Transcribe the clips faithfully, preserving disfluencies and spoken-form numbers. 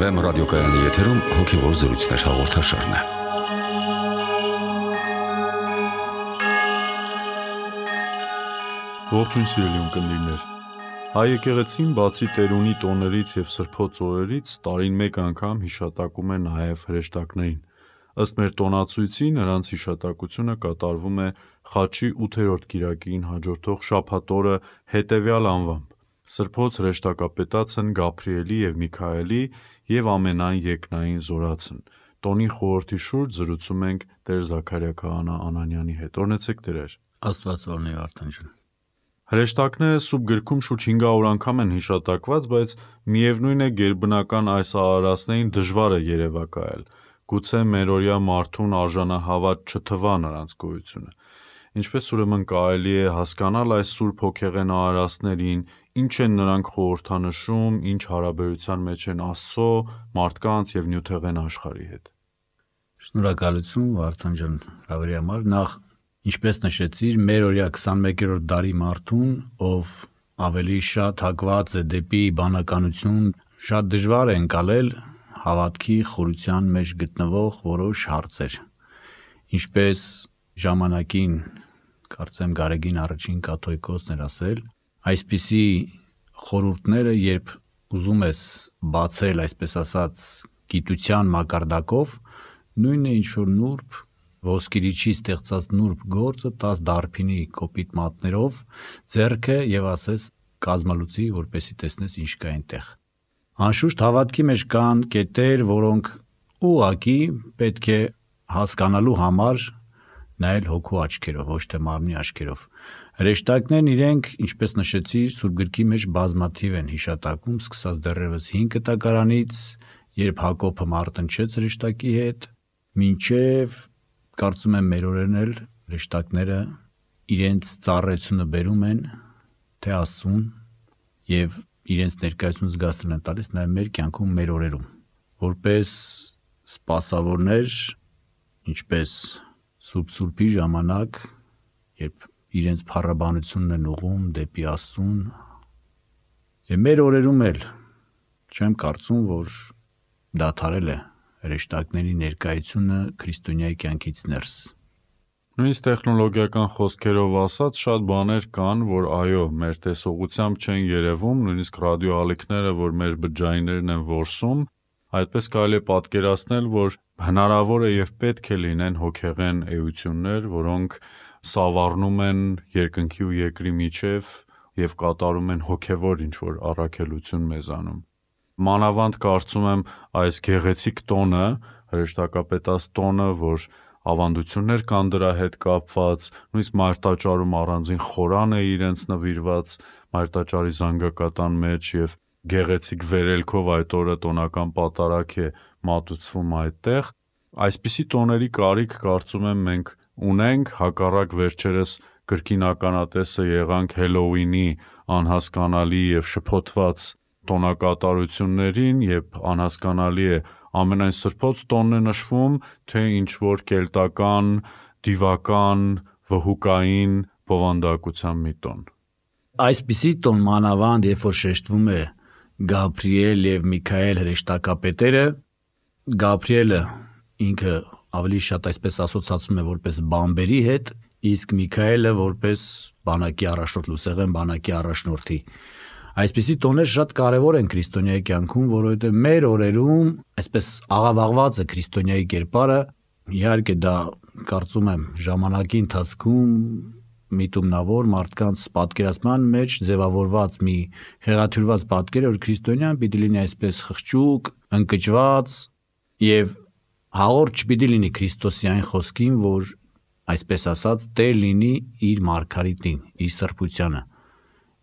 Էֆ Էմ ռադիոկայանի եթերում հոգևոր զրույցներ հաղորդաշարն է։ Ողջույն սիրելի ունկնդիրներ։ Հայ եկեղեցին բացի տերունի տոներից և սրբոց օրերից տարին մեկ անգամ հիշատակում է նաև հրեշտակներին։ Ըստ մեր տոնացույցի նրանց հիշատակությունը կատարվում է Խաչի ութերորդ կիրակին հաջորդող շաբաթ օրը հետևյալ անվամբ. Սրբոց հրեշտակապետացն Գաբրիելի և Միքայելի և ամենայն երկնային զորացն։ Տոնի խորհրդի շուրջ զրուցում ենք Տեր Զաքարիա քահանա Անանյանի հետ։ Օրհնեցեք Տերեր։ Աստված օրհնի Վարդան ջան։ Հրեշտակները Սուրբ գրքում շուրջ հինգ հարյուր անգամ են հիշատակված, բայց միևնույն է գերբնական այս արարածներին դժվար է երևակայել։ Գուցե մերօրյա մարդուն արժանահավատ չթվա նրանց գոյությունը։ Ինչպես ուրեմն կարելի է հասկանալ այս սուրբ հոգեղեն արարածներին, ինչ են նրանք խորհրդանշում, ինչ հարաբերության մեջ են Աստծո, մարդկանց և նյութեղեն աշխարհի հետ։ Շնորհակալություն Վարդան ջան հավերի համար։ Նախ, ինչպես նշեցիր, մերօրյա քսանմեկերորդ դարի մարդուն, ով ավելի շատ հակված է դեպի բանականություն, շատ դժվար է ընկալել հավատքի խորության մեջ գտնվող որոշ հարցեր։ Ինչպես ժամանակին, կարծեմ Գարեգին առաջին կաթողիկոսն էր ասել, այսպիսի խորհուրդները, երբ ուզում ես բացել, այսպես ասած, գիտության մակարդակով, նույնը ինչ որ նուրբ ոսկիրիչի ստեղծած նուրբ գործը տաս դարբինի կոպիտ մատներով ձեռքը եւ ասես կազմալուծի, որպեսի տեսնես ինչ կա այնտեղ։ Անշուշտ հավատքի մեջ կան կետեր, որոնք ուղղակի պետք է հասկանալու համար նայել հոգու աչքերով, ոչ թե մարմնի աչքերով։ Հրեշտակներն իրենք, ինչպես նշեցիր, Սուրբ գրքի մեջ բազմաթիվ են հիշատակում, սկսած դեռևս հինգ կտակարանից, երբ Հակոբը մարտնչեց հրեշտակի հետ, մինչև կարծում եմ մեր օրերն էլ հրեշտակները իրենց ծառայությունը բերում են թե Աստծուն եւ իրենց ներկայությունը զգացել են տալիս նաեւ մեր կյանքում, մեր օրերում, որպես սպասավորներ, ինչպես Սուրբ Սուրբի ժամանակ, երբ իրենց փառաբանությունն են ուղում դեպի Աստծուն, եւ մեր օրերում էլ չեմ կարծում, որ դադարել է հրեշտակների ներկայությունը քրիստոնյայի կյանքից ներս։ Նույնիսկ տեխնոլոգիական խոսքերով ասած, շատ բաներ կան, որ այո, մեր տեսողությամբ չեն երևում, նույնիսկ ռադիոալիքները, որ մեր բջջայիններն են որսում, այդպես կարելի է պատկերացնել, որ հնարավոր է եւ պետք է լինեն հոգեղեն էություններ, որոնք սավառնում են երկնքի ու երկրի միջև եւ կատարում են հոգեվոր ինչ-որ առաքելություն մեզանում։ Մանավանդ կարծում եմ այս գեղեցիկ տոնը, հրեշտակապետաց տոնը, որ ավանդություններ կան դրա հետ կապված, նույնիսկ մարտաճարում առանձին խորան է իրենց նվիրված մարտաճարի զանգակատան մեջ եւ գեղեցիկ վերելքով այդ օրը տոնական պատարագ է մատուցվում այդտեղ։ Այսպիսի տոների կարիք կարծում եմ մենք ունենք, հակառակ վերջերս կրկին ականատեսը եղանք Հելոուինի անհասկանալի եւ շփոթված տոնակատարություններին, երբ անհասկանալի է ամենայն սրբոց տոնն է նշվում, թե ինչ որ կելտական, դիվական, վհուկային բովանդակության մի տոն։ Այսպիսի տոն մանավանդ, երբ որ շեշտվում է Գաբրիել եւ Միքայել հրեշտակապետերը, Գաբրիելը ինքը ավելի շատ այսպես ասոցացվում է որպես բամբերի հետ, իսկ Միքայելը որպես բանակի առաջնորդ, լուսեղեն բանակի առաջնորդի։ Այսպիսի տոներ շատ կարևոր են քրիստոնյայի կյանքում, որովհետև մեր օրերում այսպես աղավաղված է քրիստոնյայի կերպարը, իհարկե դա կարծում եմ ժամանակի ընթացքում միտումնավոր մարդկանց պատկերացման մեջ ձևավորված մի հեղաթյուրված պատկեր է, որ քրիստոնյան պիտի լինի այսպես խղճուկ, ընկճված եւ հաղորդ չպիտի լինի Քրիստոսի այն խոսքին, որ այսպես ասած Տեր լինի իր մարգարիտին, իր սրբությանը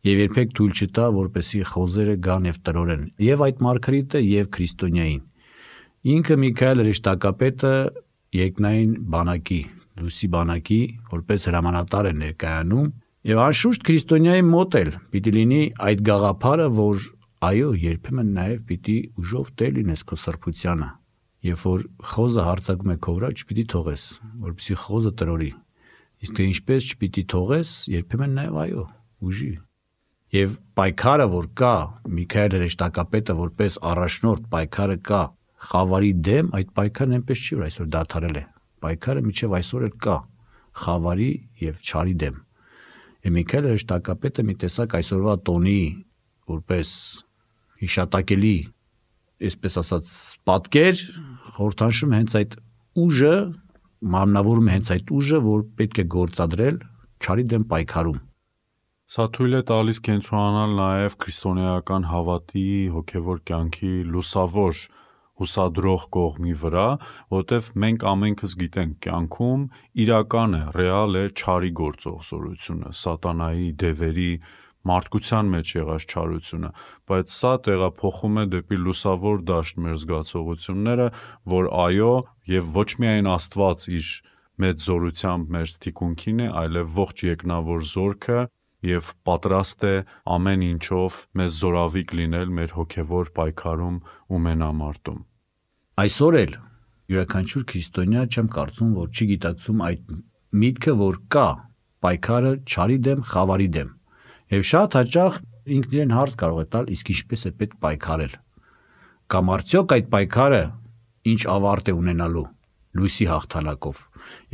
եւ երբեք թույլ չտա, որպեսի խոզերը գան եւ տրորեն եւ այդ մարգարիտը եւ քրիստոնյային։ Ինքը Միքայել հրեշտակապետը երկնային բանակի, լույսի բանակի որպես հրամանատար է ներկայանում եւ անշուշտ քրիստոնյայի մոտ էլ պիտի լինի այդ գաղափարը, որ այո, երբեմն նաեւ պիտի ուժով տեր լինես քո սրբությանը, երբ որ խոզը հարձակում է քո վրա, չպիտի թողես, որպեսզի խոզը տրորի։ Իսկ թե ինչպես չպիտի թողես, երբեմն նաեւ այո, ուժի։ Եվ պայքարը, որ կա, Միքայել հրեշտակապետը որպես առաջնորդ պայքարը կա խավարի դեմ, այդ պայքարն այնպես չի, որ այսօր դադարել է։ Պայքարը մինչև այսօր էլ կա խավարի եւ չարի դեմ։ Եվ Միքայել հրեշտակապետը մի տեսակ այսօրվա տոնի որպես հիշատակելի, այսպես ասած, պատկեր խորհրդանշում հենց այդ ուժը, մարմնավորում հենց այդ ուժը, որ պետք է գործադրել չարի դեմ պայքարում։ Սա թույլ է տալիս կենտրոնանալ նաև քրիստոնեական հավատի, հոգևոր կյանքի լուսավոր հուսադրող կողմի վրա, որտեվ մենք ամենքս գիտենք կյանքում իրական է, ռեալ է չարի գործող զորությունը, սատանայի, դևերի, մարդկության մեջ եղած չարությունը, բայց սա տեղափոխում է դեպի լուսավոր դաշտ մեր զգացողությունները, որ այո, եւ ոչ միայն Աստված իր մեծ զորությամբ մեր թիկունքին է, այլև ողջ երկնավոր զորքը եւ պատրաստ է ամեն ինչով մեզ զորավիկ լինել մեր հոգևոր պայքարում ու մենամարտում։ Այսօր էլ յուրաքանչյուր քրիստոնյա չեմ կարծում, որ չի գիտակցում այդ միտքը, որ կա պայքարը չարի դեմ, խավարի դեմ։ Եվ շատ հաճախ ինքն իրեն հարց կարող է տալ, իսկ ինչպես է պետք պայքարել։ Կամ արդյոք այդ պայքարը ինչ ավարտ է ունենալու լույսի հաղթանակով։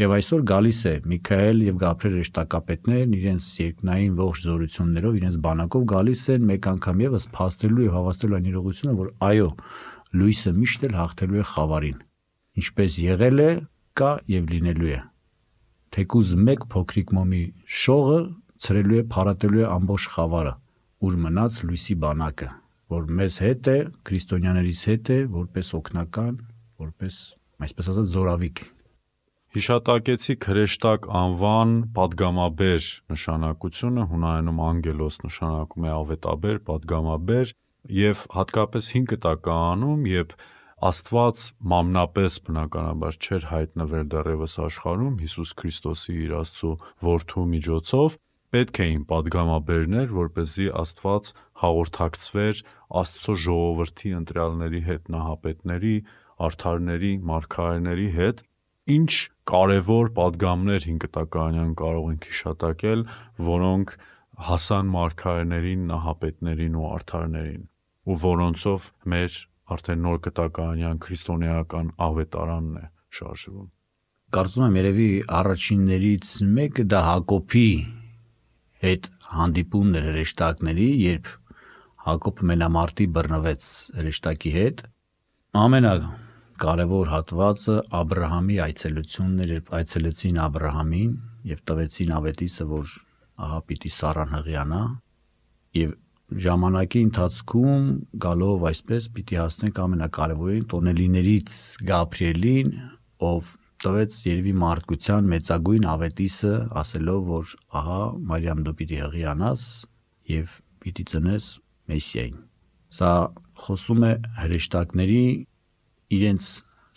Եվ այսօր գալիս է Միքայել եւ Գաբրիել հրեշտակապետներն իրենց երկնային ողջ զորություններով, իրենց բանակով գալիս են մեկ անգամ եւս փաստելու եւ հավաստելու այն իրողությունը, որ այո, լույսը միշտ էլ հաղթելու է խավարին։ Ինչպես եղել է, կա եւ լինելու է։ Թեկուզ մեկ փոքրիկ մոմի շողը ցրելու է, փարատելու է ամբողջ խավարը, ուր մնաց լույսի բանակը, որ մեզ հետ է, քրիստոնյաներից հետ է, որպես օգնական, որպես, այսպես ասած, զորավիկ։ Հիշատակեցի հրեշտակ անվան պատգամաբեր նշանակությունը, հունարենում անգելոս նշանակում է ավետաբեր, պատգամաբեր, եւ հատկապես հին կտակարանում, երբ Աստված մամնապես բնականաբար չէր հայտնվել դեռևս աշխարհում Հիսուս Քրիստոսի իր Աստծո որդու միջոցով, պետք էին պատգամաբերներ, որպեսզի Աստված հաղորդակցվեր Աստծո ժողովրդի ընտրյալների հետ, նահապետների, արդարների, մարգարեների հետ, ինչ կարևոր պատգամներ հին կտակարանյան կարող ենք հիշատակել, որոնք հասան մարգարեներին, նահապետներին ու արդարներին, ու որոնցով մեր արդեն նոր կտակարանյան քրիստոնեական ավետարանն է շարժվում։ Կարծում եմ երևի առաջիններից մեկը դա Հակոբի հետ հանդիպումն էր հրեշտակների, երբ Հակոբը մենամարտի բռնվեց հրեշտակի հետ։ Ամենակարևոր հատվածը Աբրահամի այցելությունն էր, երբ այցելեցին Աբրահամին եւ տվեցին ավետիսը, որ ահա պիտի Սառան հղիանա, եւ ժամանակի ընթացքում գալով այսպես պիտի հասնենք ամենակարևորին տոնելիներից Գաբրիելին, ով տվեց երևի մարդկության մեծագույն ավետիսը, ասելով, որ ահա Մարիամ դու պիտի հղիանաս եւ պիտի ծնես Մեսիային։ Սա խոսում է հրեշտակների իրենց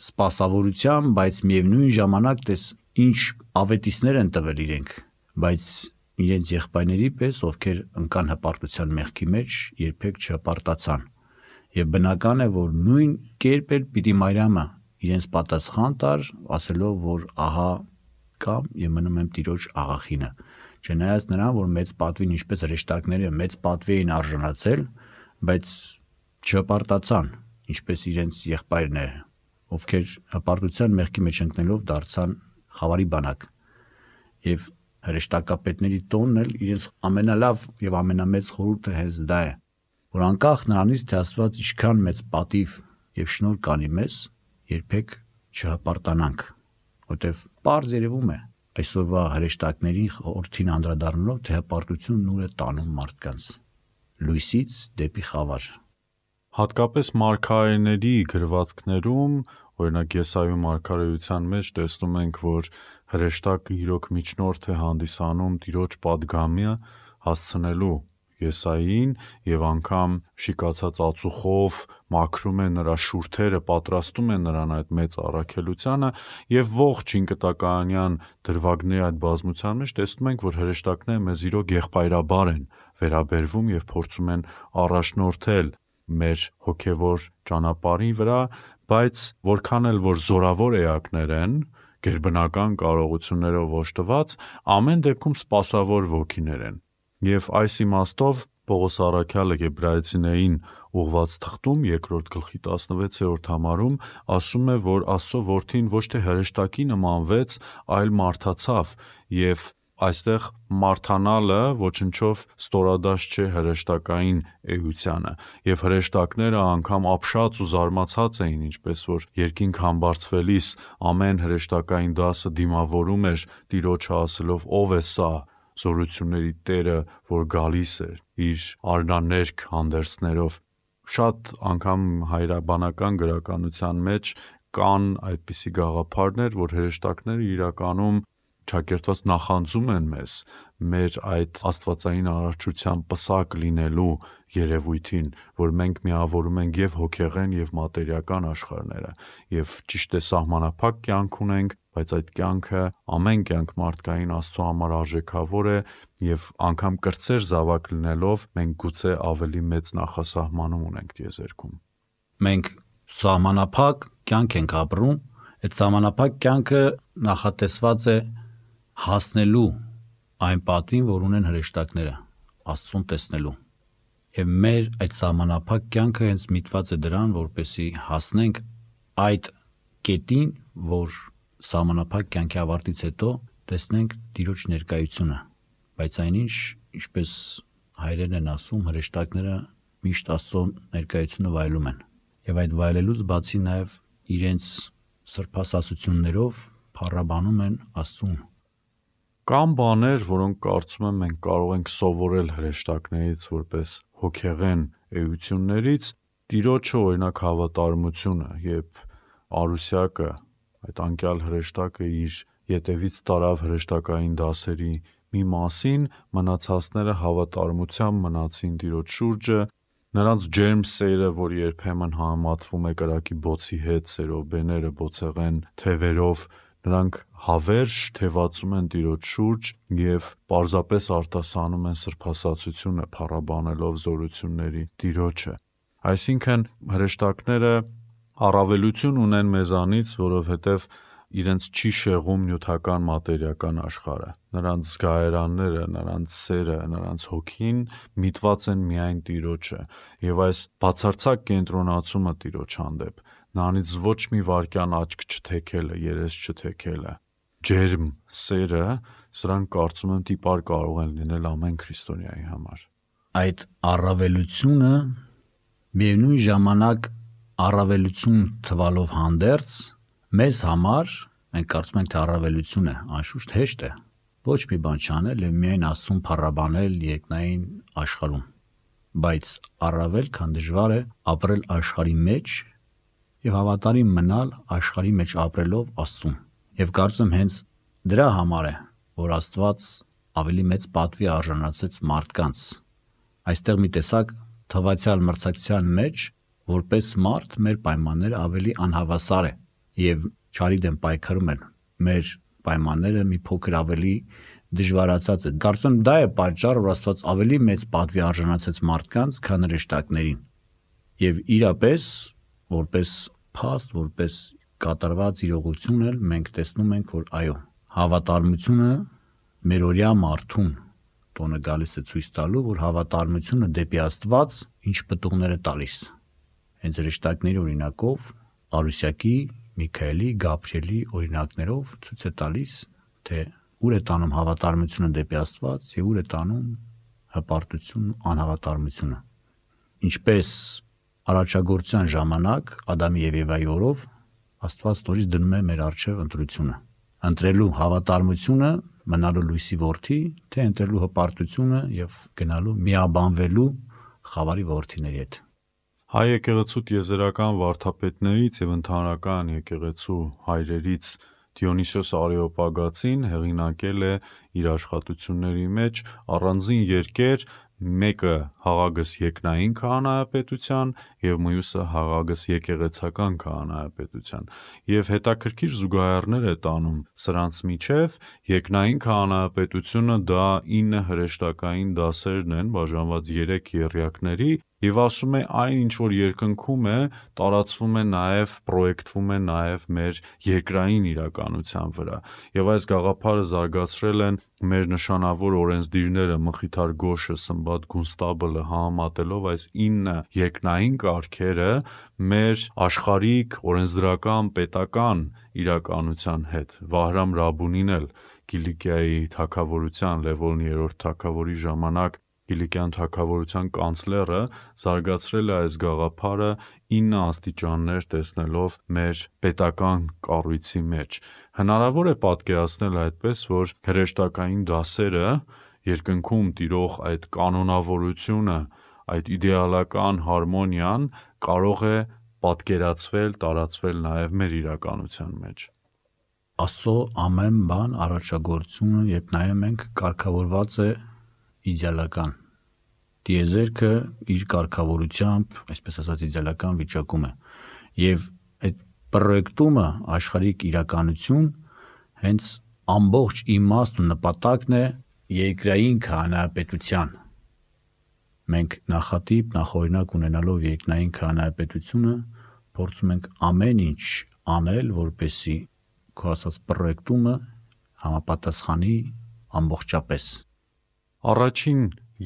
սպասավորության, բայց միևնույն ժամանակ տես ինչ ավետիսներ են տվել իրենք, բայց իրենց եղբայրների պես, ովքեր ընկան հպարտության մեղքի մեջ, երբեք չհպարտացան։ Եվ բնական է, որ նույն կերպ էլ պիտի Մարիամը իրենց պատասխան տար, ասելով, որ ահա կամ եւ մնում եմ Տիրոջ աղախինը։ Չնայած նրան, որ մեծ պատվին, ինչպես հրեշտակները մեծ պատվի էին արժանացել, բայց չհպարտացան, ինչպես իրենց եղբայրները, ովքեր հպարտության մեղքի մեջ ընկնելով դարձան խավարի բանակ։ Եվ հրեշտակապետների տոնն էլ իրենց ամենալավ եւ ամենամեծ խորհուրդը հենց դա է, որ անկախ նրանից, թե Աստված ինչքան մեծ պատիվ եւ շնորհ կանի մեզ, երբեք չհպարտանանք, որտեվ պարզ երևում է այսօրվա հրեշտակների խորհրդին անդրադառնալով, թե հպարտությունն ուր է տանում մարդկանց լույսից դեպի խավար։ Հատկապես մարգարեների գրվածքներում, օրինակ Եսայու մարգարեության մեջ տեսնում ենք, որ հրեշտակը իրոք միջնորդ է հանդիսանում Տիրոջ պատգամը հասցնելու Եսային եւ անգամ շիկացած ածուխով մաքրում է նրա շուրթերը, պատրաստում է նրան այդ մեծ առաքելությանը եւ ողջ ինկտականյան դրվագների այդ բազմության մեջ տեսնում ենք, որ հրեշտակները մեզ իրոք եղբայրաբար են վերաբերվում եւ փորձում են առաջնորդել մեր հոգևոր ճանապարհի վրա, բայց որքան էլ որ զորավոր էակներ են, գերբնական կարողություններով օժտված, ամեն դեպքում սպասավոր ոգիներ են։ Եվ այս իմաստով Պողոս Առաքյալը Եբրայեցիներին ուղված թղթում երկրորդ գլխի տասնվեցերորդ համարում ասում է, որ Աստծո որդին ոչ թե հրեշտակի նմանվեց, այլ մարդացավ, եւ այստեղ մարդանալը ոչնչով ստորադաշտ չէ հրեշտակային էությանը, եւ հրեշտակները անգամ ապշած ու զարմացած էին, ինչպես որ երկինք համբարձվելիս ամեն հրեշտակային դասը դիմավորում էր Տիրոջը ասելով. ով է սա զորությունների Տերը, որ գալիս էր իր արնաներկ հանդերձներով։ Շատ անգամ հայրաբանական գրականության մեջ կան այդպիսի գաղափարներ, որ հրեշտակները իրականում ճակերտված նախանձում են մեզ մեր այդ աստվածային արարչության պսակ լինելու երևույթին, որ մենք միավորում ենք եւ հոգեղեն եւ մատերիական աշխարհները, եւ ճիշտ է սահմանափակ կյանք ունենք, բայց այդ կյանքը ամեն կյանք մարդկային Աստծո համար արժեքավոր է, եւ անգամ կրտսեր զավակ լինելով մենք գուցե ավելի մեծ նախասահմանում ունենք տիեզերքում։ Մենք սահմանափակ կյանք ենք ապրում, այդ սահմանափակ կյանքը նախատեսված է հասնելու այն պատվին, որ ունեն հրեշտակները, Աստծուն տեսնելու։ Եվ մեր այդ սահմանափակ կյանքը հենց միտված է դրան, որպեսզի հասնենք այդ կետին, որ սահմանափակ կյանքի ավարտից հետո տեսնենք Տիրոջ ներկայությունը։ Բայց այնինչ, ինչպես հայրերն են ասում, հրեշտակները միշտ Աստծո ներկայությունը վայելում են։ Եվ այդ վայելելուց բացի նաև իրենց սրբասացություններով փառաբանում են Աստծուն։ Կան բաներ, որոնք կարծում եմ մենք կարող ենք սովորել հրեշտակներից որպես հոգեղեն էություններից, Տիրոջը օրինակ հավատարմությունը, երբ Արուսյակը, այդ անկյալ հրեշտակը իր ետևից տարավ հրեշտակային դասերի մի մասին, մնացածները հավատարմությամբ մնացին Տիրոջ շուրջը, նրանց ջերմ սերը, որ երբեմն համատվում է կրակի բոցի հետ, սերովբեները բոցեղեն թևերով, նրանք հավերժ թևածում են Տիրոջ շուրջ եւ պարզապես արտասանում են սրբասացությունը, փառաբանելով զորությունների Տիրոջը։ Այսինքն հրեշտակները առավելություն ունեն մեզանից, որովհետև իրենց չի շեղում նյութական մատերիական աշխարհը։ Նրանց զգայարանները, նրանց սերը, նրանց հոգին միտված են միայն Տիրոջը, եւ այս բացարձակ կենտրոնացումը Տիրոջ հանդեպ, նրանից ոչ մի վարքյան աչք չթեքելը, երես չթեքելը, ջերմ սերը, սրանք կարծում եմ տիպար կարող են լինել ամեն քրիստոնյայի համար։ Այդ առավելությունը միևնույն ժամանակ առավելություն թվալով հանդերձ մեզ համար մենք կարծում ենք թե առավելություն է, անշուշտ հեշտ է ոչ մի բան չանել եւ միայն Աստծուն փառաբանել երկնային աշխարհում, բայց առավել քան դժվար է ապրել աշխարհի մեջ եւ հավատարիմ մնալ աշխարհի մեջ ապրելով Աստծուն։ Եվ կարծում եմ հենց դրա համար է, որ Աստված ավելի մեծ պատվի արժանացեց մարդկանց։ Այստեղ մի տեսակ թվացial մրցակցության մեջ որպես մարդ մեր պայմանները ավելի անհավասար է եւ չարի դեմ պայքարում են։ Մեր պայմանները մի փոքր ավելի դժվարացած է։ Կարծում եմ դա է պատճառը, որ Աստված ավելի մեծ պատվի արժանացեց մարդկանց, քան հրեշտակներին։ Եվ իրապես որպես փաստ, որպես կատարված իրողություն էլ մենք տեսնում ենք, որ այո, հավատարմությունը մերօրյա մարդուն տոնը գալիս է ցույց տալու, որ հավատարմությունը դեպի Աստված ինչ պտուղներ է տալիս։ Հենց հրեշտակների օրինակով Արուսյակի, Միքայելի, Գաբրիելի օրինակներով ցույց է տալիս, թե ուր է տանում հավատարմությունը դեպի Աստված եւ ուր է տանում հպարտությունն ու անհավատարմությունը։ Ինչպես առաջագործության ժամանակ Ադամի եւ Եվայի օրով Աստված նորից դնում է մեր առջև ընտրությունը։ Ընտրելու հավատարմությունը, մնալու լույսի որդի, թե ընտրելու հպարտությունը եւ գնալու միաբանվելու խավարի որդիների հետ։ Հայ եկեղեցու տիեզերական վարդապետներից եւ ընդհանրական եկեղեցու հայրերից Դիոնիսիոս Արեոպագացին հեղինակել է իր աշխատությունների մեջ առանձին երկեր, մեկը Հաղագս երկնային քահանայապետության եւ մյուսը Հաղագս եկեղեցական քահանայապետության, եւ հետաքրքիր զուգահեռներ է տանում սրանց միջև։ Երկնային քահանայապետությունը դա ինը հրեշտակային դասերն են, բաժանված երեք եռյակների, Եվ ասում է այն ինչ որ երկնքում է, տարածվում է նաև, պրոյեկտվում է նաև մեր երկրային իրականության վրա։ Եվ այս գաղափարը զարգացրել են մեր նշանավոր օրենսդիրները Մխիթար Գոշը, Սմբատ Գունստաբլը համատելով այս ինը երկնային կարգերը մեր աշխարհիկ օրենսդրական պետական իրականության հետ։ Վահրամ Ռաբունին էլ Կիլիկիայի թագավորության Լևոն երրորդ թագավորի ժամանակ Կիլիկյան թագավորության կանցլերը զարգացրել է այս գաղափարը ինը աստիճաններ տեսնելով մեր պետական կառույցի մեջ։ Հնարավոր է պատկերացնել այդպես, որ հրեշտակային դասերը երկնքում տիրող այդ կանոնավորությունը, այդ իդեալական հարմոնիան կարող է պատկերացվել, տարածվել նաև մեր իրականության մեջ։ Աստծո ամեն բան առաջագործությունը, երբ նայում ենք, կարգավորված է իդեալական։ Տիեզերքը իր կարգավորությամբ, այսպես ասած, իդեալական վիճակում է։ Եվ այդ պրոյեկտումը աշխարհիկ իրականություն հենց ամբողջ իմաստ ու նպատակն է երկրային քահանայապետության։ Մենք նախատիպ, նախօրինակ ունենալով երկրային քահանայապետությունը, փորձում ենք ամեն ինչ անել, որպեսզի քո ասած պրոյեկտումը համապատասխանի ամբողջապես։ Առաջին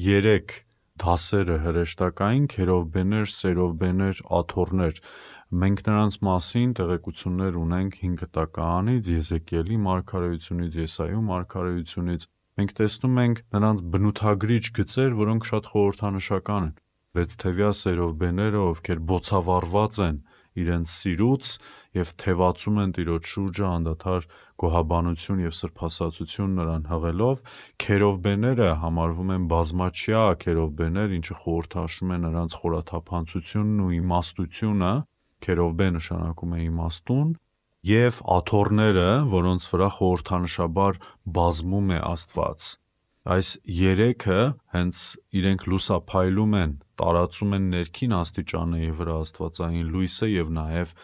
երեք դասերը հրեշտակային քերովբեներ, սերովբեներ, աթոռներ, մենք նրանց մասին տեղեկություններ ունենք հինգ տականից, Եզեկիելի մարգարեությունից, Եսայու մարգարեությունից, մենք տեսնում ենք նրանց բնութագրիչ գծեր, որոնք շատ խորհրդանշական են։ Վեց թևյա սերովբեները, ովքեր բոցավառված են իրենց սիրուց եւ թևածում են Տիրոջ շուրջը անդադար գոհաբանություն եւ սրբասացություն նրան հղելով, քերովբեները համարվում են բազմաչյա քերովբեներ, ինչը խորհրդաշում է նրանց խորաթափանցությունն ու իմաստությունը, քերովբե նշանակում է իմաստուն, եւ աթոռները, որոնց վրա խորհրդանշաբար բազմում է Աստված։ Այս երեքը հենց իրենք լուսափայլում են, տարածում են ներքին աստիճանների վրա աստվածային լույսը եւ նաեւ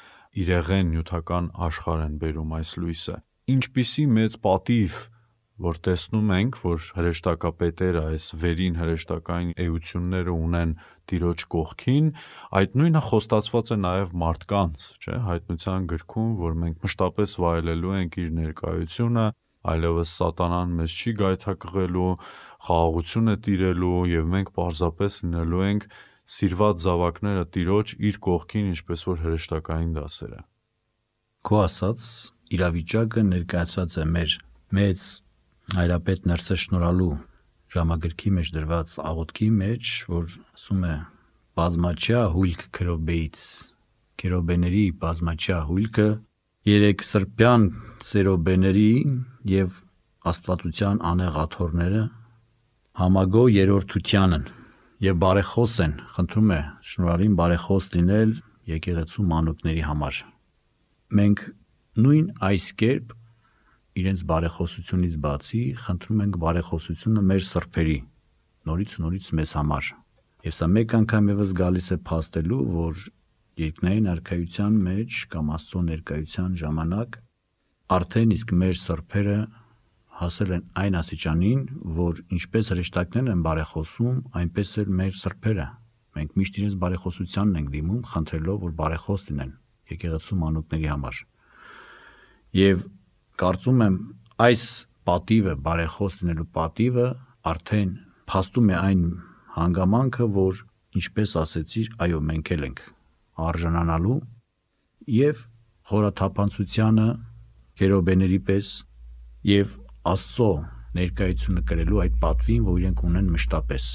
իրեղեն նյութական աշխարհ են բերում այս լույսը։ Ինչպիսի մեծ պատիվ, որ տեսնում ենք, որ հրեշտակապետերը այս վերին հրեշտակային էությունները ունեն Տիրոջ կողքին, այդ նույնը խոստացված է նաև մարդկանց, չէ՞, Հայտնության գրքում, որ մենք մշտապես վայելելու ենք իր ներկայությունը, այլևս սատանան մեզ չի գայթակղելու, խաղաղությունը տիրելու եւ մենք պարզապես լինելու ենք սիրված զավակները Տիրոջ իր կողքին, ինչպես որ հրեշտակային դասերը։ Քո ասած իրավիճակը ներկայացված է մեր մեծ հայրապետ Ներսես Շնորհալու ժամագրքի մեջ դրված աղոթքի մեջ, որ ասում է բազմաչյա հույլք քերոբեից, քերոբեների բազմաչյա հույլքը երեք սրբյան սերոբեների եւ աստվածության անեղ աթոռները համագո երրորդությանն եւ բարեխոս են, խնդրում է Շնորհալին բարեխոս լինել եկեղեցու մանուկների համար։ Մենք նույն այս կերպ իրենց բարեխոսությունից բացի խնդրում ենք բարեխոսությունը մեր սրբերի, նորից ու նորից մեզ համար։ Եվ սա մեկ անգամ եւս գալիս է փաստելու, որ երկնային արքայության մեջ կամ Աստծո ներկայության ժամանակ արդեն իսկ մեր սրբերը հասել են այն աստիճանին, որ ինչպես հրեշտակներն են բարեխոսում, այնպես էլ մեր սրբերը։ Մենք միշտ իրենց բարեխոսությանն ենք դիմում, խնդրելով, որ բարեխոս լինեն եկեղեցու մանուկների համար։ Եվ կարծում եմ այս պատիվը, բարեխոս լինելու պատիվը արդեն փաստում է այն հանգամանքը, որ ինչպես ասեցիր, այո, մենք էլ ենք արժանանալու եւ խորաթափանցությանը քերոբեների պես եւ Աստծո ներկայությունը կրելու այդ պատվին, որ իրենք ունեն մշտապես։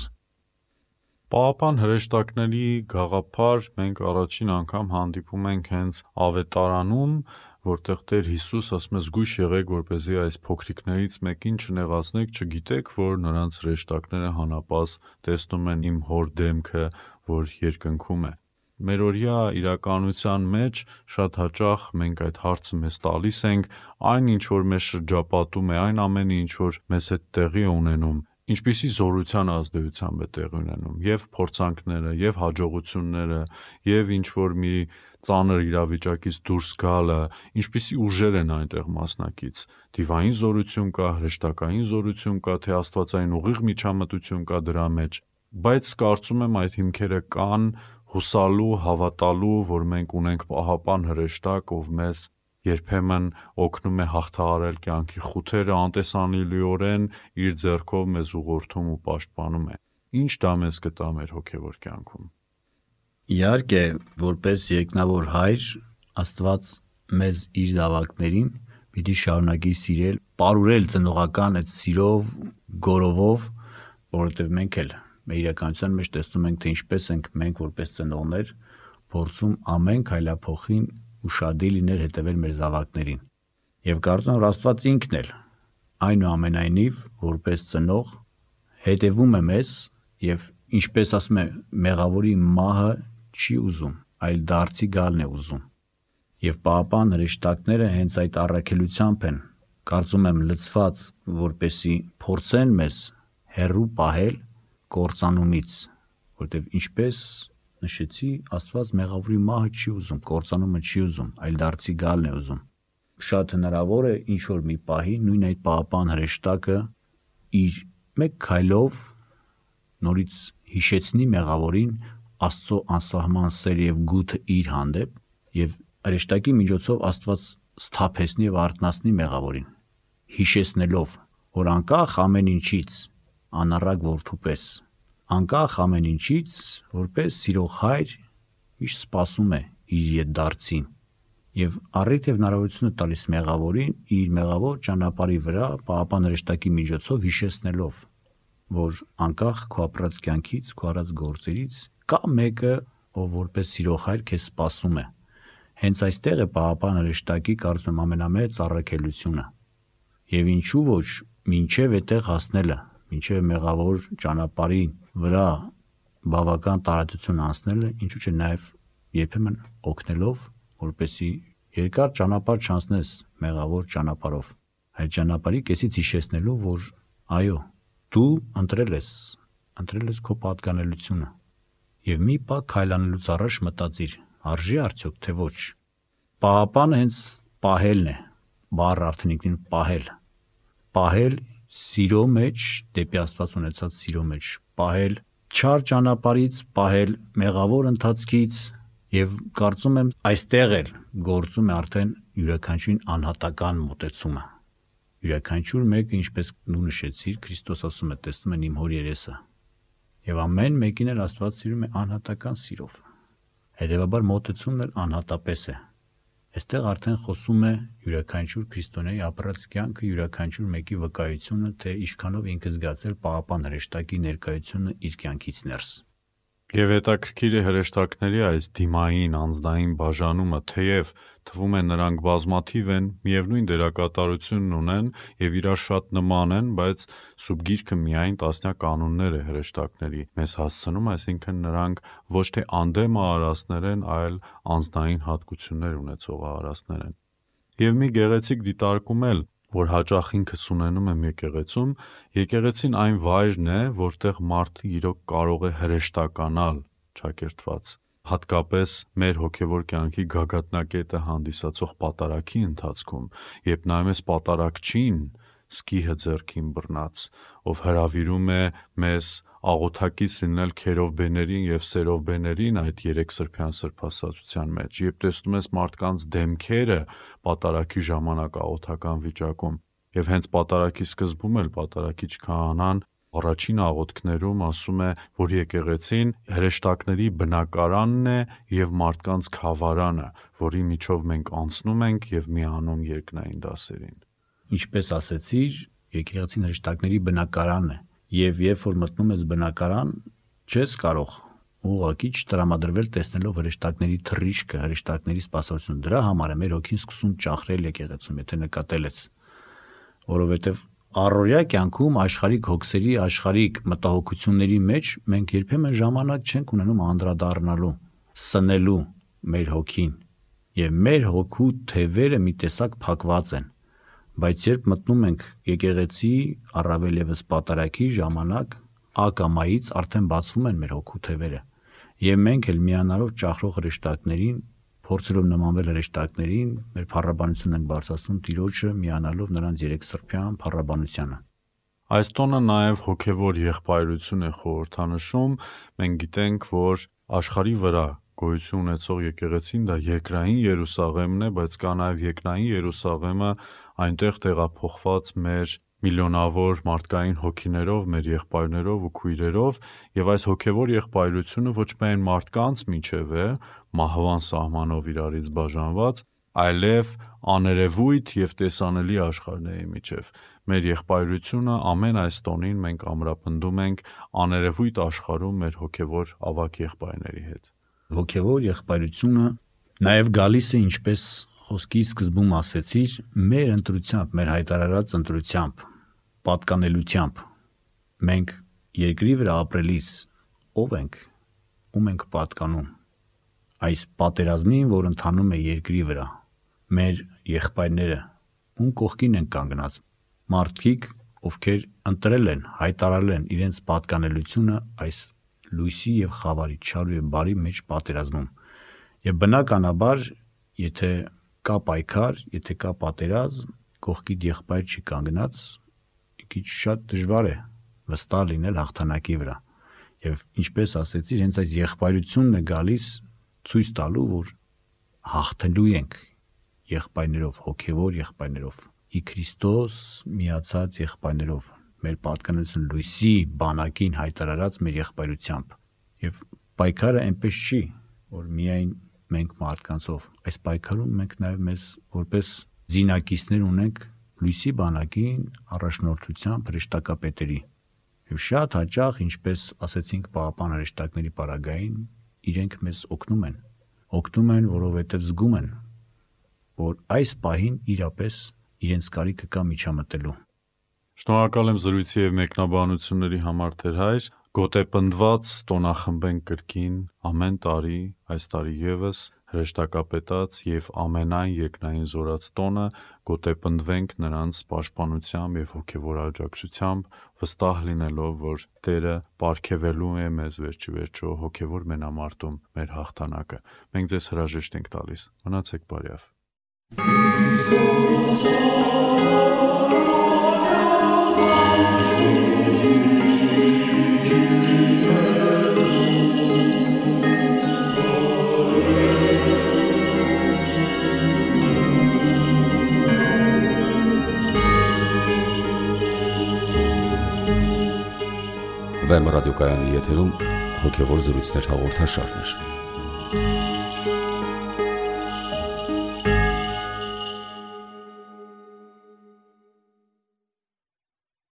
Պահապան հրեշտակների գաղափար մենք առաջին անգամ հանդիպում ենք հենց Ավետարանում, որտեղ Տեր Հիսուս ասում է զգույշ եղեք, որպեսզի այս փոքրիկներից մեկին չնեղացնեք, չգիտեք, որ նրանց հրեշտակները հանապազ տեսնում են իմ հոր դեմքը, որ երկնքում է։ Մերօրյա իրականության մեջ շատ հաճախ մենք այդ հարցը մեզ տալիս ենք, այն ինչ որ մեզ շրջապատում է, այն ամենը ինչ որ մեզ հետ տեղի է ունենում, ինչպիսի զորության ազդեցությամբ է տեղի ունենում, եւ փորձանքները, եւ հաջողությունները, եւ ինչ որ մի ծանր իրավիճակից դուրս գալը, ինչպիսի ուժեր են այնտեղ մասնակից։ Դիվային զորություն կա, հրեշտակային զորություն կա, թե աստվածային ուղիղ միջամտություն կա դրա մեջ։ Բայց կարծում եմ այդ հիմքերը կան հուսալու, հավատալու, որ մենք ունենք պահապան հրեշտակ, ով մեզ երբեմն օգնում է հաղթահարել կյանքի խութերը, անտեսանելիորեն իր ձեռքով մեզ ուղղորդում ու պաշտպանում է։ Ինչ դա մեզ կտա մեր հոգևոր կյանքում։ Իհարկե, որպես երկնավոր հայր, Աստված մեզ իր զավակներին պիտի շարունակի սիրել, պարուրել ծնողական այդ սիրով, գորովով, որովհետև մենք էլ մեր իրականության մեջ տեսնում ենք, թե ինչպես ենք մենք որպես ծնողներ փորձում ամեն քայլափոխին ուշադիր լինել հետևել մեր զավակներին։ Եվ կարծում եմ, որ Աստված ինքն էլ այնուամենայնիվ որպես ծնող հետևում է մեզ եւ ինչպես ասում է, մեղավորի մահը չի ուզում, այլ դարձի գալն է ուզում։ Եվ պահապան հրեշտակները հենց այդ առաքելությամբ են, կարծում եմ, լցված, որպեսի փորձեն մեզ հեռու պահել կործանումից, որտեվ ինչպես նշեցի, Աստված մեղավորի մահը չի ուզում, կործանումը չի ուզում, այլ դարձի գալն է ուզում։ Շատ հնարավոր է ինչ որ մի պահի նույն այդ պահապան հրեշտակը իր մեկ քայլով նորից հիշեցնի մեղավորին Աստծո անսահման սեր եւ գութը իր հանդեպ եւ հրեշտակի միջոցով Աստված սթափեցնի եւ արթնացնի մեղավորին, հիշեցնելով, որ անկախ ամեն ինչից անառակ որդու պես, անկախ ամեն ինչից որպես սիրող հայր միշտ սպասում է իր ետդարձին եւ առիթ եւ հնարավորություն է տալիս մեղավորին իր մեղավոր ճանապարհի վրա պահապան հրեշտակի միջոցով հիշեցնելով, որ անկախ քո ապրած կյանքից, քո արած գործերից կա մեկը, ով որպես սիրող հայր քեզ սպասում է։ Հենց այստեղ է պահապան հրեշտակի կարծում եմ ամենամեծ առաքելությունը։ Եվ ինչու ոչ մինչև այդտեղ հասնելը, մինչև մեղավոր ճանապարհի վրա բավական տարածություն անցնելը, ինչու՞ չէ նաև երբեմն օգնելով, որպեսի երկար ճանապարհ չանցնես մեղավոր ճանապարհով, այլ ճանապարհի կեսից հիշեցնելու, որ այո, դու ընտրել ես, ընտրել ես քո պատկանելությունը։ Եվ մի պահ քայլանելուց առաջ մտածիր, արժի արդյոք թե ոչ։ Պահապանը հենց պահելն է, բառը արդեն ինքնին պահել։ Պահել սիրո մեջ, դեպի Աստված ունեցած սիրո մեջ, պահել չար ճանապարհից, պահել մեղավոր ընթացքից եւ կարծում եմ այստեղ էլ գործում է արդեն յուրաքանչյուրին անհատական մոտեցումը։ Յուրաքանչյուր մեկը, ինչպես դու նշեցիր, Քրիստոս ասում է, տեսնում են իմ հոր երեսը։ Եվ ամեն մեկին էլ Աստված սիրում է անհատական սիրով։ Հետևաբար մոտեցումն էլ անհատապես է։ Այստեղ արդեն խոսում է յուրաքանչյուր քրիստոնեի ապրած կյանքը, յուրաքանչյուր մեկի վկայությունը, թե ինչքանով ինքը զգացել պահապան հրեշտակի ներկայությունը իր կյանքից ներս։ Եվ հետաքրքիր է հրեշտակների այս դիմային անձնային բաժանումը, թեև թվում է նրանք բազմաթիվ են, միևնույն դերակատարությունն ունեն եւ իրար շատ նման են, բայց Սուրբ Գիրքը միայն տասնյակ կանոններ է հրեշտակների մեզ հասցնում, այսինքն նրանք ոչ թե անդեմ արարածներ են, այլ անձնային հատկություններ ունեցող արարածներ են։ Եվ մի գեղեցիկ դիտարկում էլ, որ հաճախ ինքս ունենում եմ եկեղեցում, եկեղեցին այն վայրն է, որտեղ մարդը իրոք կարող է հրեշտականալ ճակերտված, հատկապես մեր հոգևոր կյանքի գագաթնակետը հանդիսացող պատարագի ընթացքում, երբ նայում ես պատարագչին, սկիհը ձեռքին բռնած, ով հրավիրում է մեզ աղոթակից լինել քերովբեներին եւ սերովբեներին այդ երեք սրբյան սրբասացության մեջ, երբ տեսնում ես մարդկանց դեմքերը պատարագի ժամանակ աղոթական վիճակում, եւ հենց պատարագի սկզբում էլ պատարագիչ քահանան առաջին աղոթքներում ասում է, որ եկեղեցին հրեշտակների բնակարանն է եւ մարդկանց խավարանը, որի միջով մենք անցնում ենք եւ միանում երկնային դասերին։ Ինչպես ասեցիր, եկեղեցին հրեշտակների բնակարանն է, եւ երբ որ մտնում ես բնակարան, չես կարող ուղղակի չտրամադրվել տեսնելով հրեշտակների թռիչքը, հրեշտակների սպասավորությունը։ Դրա համար է մեր հոգին սկսում ճախրել եկեղեցում, եթե նկատել ես, որովհետեւ առօրյա կյանքում աշխարհիկ հոգսերի, աշխարհիկ մտահոգությունների մեջ մենք երբեմն ժամանակ չենք ունենում անդրադառնալու, սնելու մեր հոգին, եւ մեր հոգու թևերը մի տեսակ փակված են, բայց երբ մտնում ենք եկեղեցի, առավել եւս պատարագի ժամանակ, ակամայից արդեն բացվում են մեր հոգու թևերը, եւ մենք էլ միանալով ճախրող հրեշտակներին, փորձելով նմանվել հրեշտակներին, մեր փառաբանությունն ենք բարձրացնում Տիրոջը, միանալով նրանց երեք սրբյան փառաբանությանը։ Այս տոնը նաև հոգևոր եղբայրություն է խորհրդանշում։ Մենք գիտենք, որ աշխարհի վրա գոյություն ունեցող եկեղեցին դա երկրային Երուսաղեմն է, բայց կա նաև երկնային Երուսաղեմը, այնտեղ տեղափոխված մեր միլիոնավոր մարդկային հոգիներով, մեր եղբայրներով ու քույրերով, եւ այս հոգևոր եղբայրությունը ոչ միայն մարդկանց միջև է, մահվան սահմանով իրարից բաժանված, այլև աներևույթ եւ տեսանելի աշխարհների միջև։ Մեր եղբայրությունը ամեն այս տոնին մենք ամրապնդում ենք աներևույթ աշխարհում մեր հոգևոր ավակ եղբայրների հետ։ Հոգևոր եղբայրությունը նաև գալիս է, ինչպես խոսքի սկզբում ասեցիր, մեր ընտրությամբ, մեր հայտարարած ընտրությամբ, պատկանելությամբ։ Մենք երկրի վրա ապրելիս ով ենք, ում ենք պատկանում։ Այս պատերազմին, որ ընթանում է երկրի վրա, մեր եղբայրները ում կողքին են կանգնած, մարդիկ, ովքեր ընտրել են, հայտարարել են իրենց պատկանելությունը այս լույսի եւ խավարի, չարու եւ բարի մեջ պատերազմում։ Եվ բնականաբար, եթե կա պայքար, եթե կա պատերազմ, կողքիդ եղբայր չի կանգնած, քիչ շատ դժվար է վստահ լինել հաղթանակի վրա։ Եվ ինչպես ասեցի, հենց այս եղբայրությունն է գալիս ցույց տալու, որ հաղթելու ենք եղբայրներով, հոգևոր եղբայրներով, ի Քրիստոս միացած եղբայրներով, մեր պատկանելություն լույսի բանակին հայտարարած մեր եղբայրությամբ։ Եվ պայքարը այնպես չի, որ միայն մենք մարդկանցով, այս պայքարում մենք նաև մեզ որպես զինակիցներ ունենք լույսի բանակին առաջնորդությամբ հրեշտակապետերի։ Եվ շատ հաճախ, ինչպես ասեցինք Պահապան հրեշտակների պարագային, իրենք մեզ օգնում են, օգնում են, որովհետև զգում են, որ այս պահին իրապես իրենց կարիքը կա միջամտելու։ Շնորհակալ եմ զրույցի եւ մեկնաբանությունների համար, Տեր հայր։ Գոտեպնդված տոնախմբենք կրկին ամեն տարի, այս տարի եւս հրեշտակապետած եւ ամենայն երկնային զորած տոնը գոտեպնդվենք նրանց պաշտպանությամբ եւ հոգեվոր աջակցությամբ, վստահ լինելով, որ Տերը պարգևելու է մեզ վերջի վերջո հոգեվոր մենամարտում մեր հաղթանակը։ Մենք ձեզ հրաժեշտ ենք տալիս։ Մնացեք բարյավ։ Վեմ ռադիոկայանի եթերում հոգևոր զրույցներ հաղորդաշարներ։